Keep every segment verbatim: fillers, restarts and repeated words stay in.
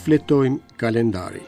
Shfletojmë kalendarin.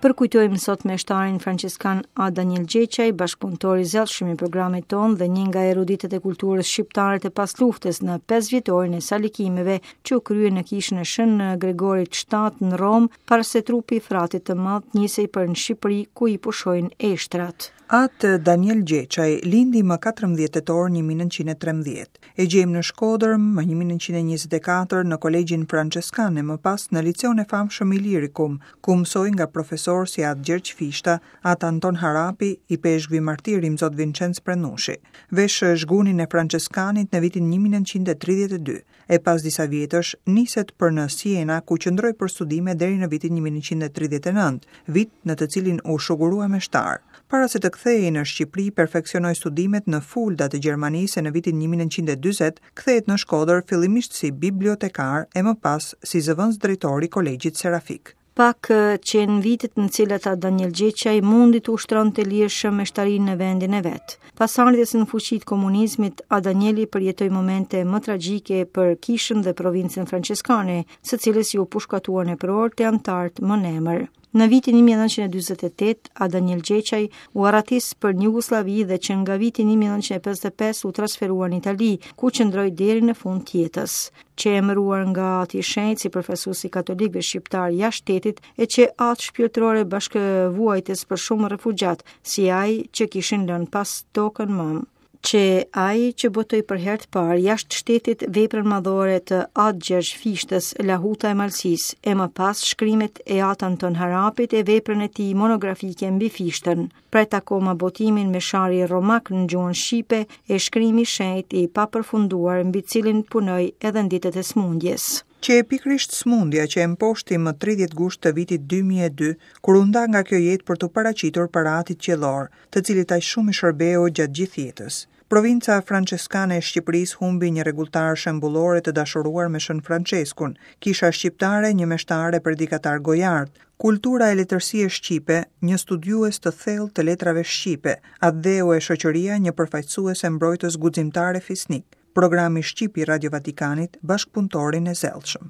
Përkujtojmë sot meshtarin françeskan A. Daniel Gjeçaj, bashkëpunëtor i zellshëm i programit tonë dhe një nga eruditët e kulturës shqiptare të pasluftës në pesë vjetorin e salikimeve që u krye në kishën e Shën Gregorit shtatë në Romë, para se trupi i fratit të madh nisej për në Shqipëri ku i pushojnë eshtrat. Atë Daniel Gjeçaj lindi më katërmbëdhjetë tetor një mijë e nëntëqind e trembëdhjetë. E gjejmë në Shkodër më një mijë e nëntëqind e njëzet e katër në Kolegjin Franceskan e më pas në liceun e famshëm Ilirikum, ku mësoi nga profesor si Atë Gjergj Fishta, Atë Anton Harapi, i peshkvi martir Imzot Vincenc Prennushi. Vesh zhgunin e Franceskanit në vitin një mijë e nëntëqind e tridhjetë e dy, e pas disa vjetësh niset për në Siena, ku qëndroi për studime deri në vitin një mijë e nëntëqind e tridhjetë e nëntë, vit në të cilin u shugurua meshtar. Para se të kthehej në Shqipëri, perfeksionoi studimet në Fulda të Gjermanisë e në vitin një mijë e nëntëqind e dyzet kthehet në Shkodër fillimisht si bibliotekar e më pas si zëvendës drejtor i Kolegjit Serafik. Pak qenë vitet në cilat A. Daniel Gjeçaj mundi të ushtronte lirshëm meshtarinë në vendin e vet. Pas ardhjes në fuqi të komunizmit, A. Danieli përjetoi momente më tragjike për kishën dhe provincën franceskane, së cilës iu pushkatuan eprorët e antarët më në emër. Në vitin një mijë e nëntëqind e dyzet e tetë, A. Daniel Gjeçaj u arratis për në Jugosllavi dhe që nga viti një mijë e nëntëqind e pesëdhjetë e pesë u transferua në Itali, ku qëndroi deri në fund të jetës. Që emëruar nga Ati i Shenjtë si përfaqësues i katolikëve shqiptar jashtë shtetit e që atë shpirtërore bashkëvuajtës për shumë refugjat, si ai që kishin lënë pas tokën mëm. Që ai që botoi për herë të parë jashtë shtetit veprën madhore të Atë Gjergj Fishtës, Lahuta e Malësisë, e më pas shkrimet e Atë Anton Harapit e veprën e tij monografike mbi Fishtën. Pret akoma botimin me shari romak në gjuhën shqipe e shkrimi shenjt i papërfunduar mbi cilin punoi edhe në ditët e smundjes. Që e pikërisht smundja që e mposhti më tridhjetë gusht të vitit dy mijë e dy, kur u nda nga kjo jetë për t'u paraqitur para Atit Qiellor, të cilit aq shumë i shërbeu gjatë gjithë jetës. Provinca franceskane e Shqipërisë humbi një rregulltar shembullore të dashuruar me Shën Franceskun, kisha shqiptare një meshtar e predikatar gojart, kultura e letërsie shqipe, një studiues të thellë të letrave shqipe, atdheu e shoqëria një përfaqësues e mbrojtës guximtar e fisnik. Programi Shqip i Radio Vatikanit, bashkëpunëtorin e zellshëm.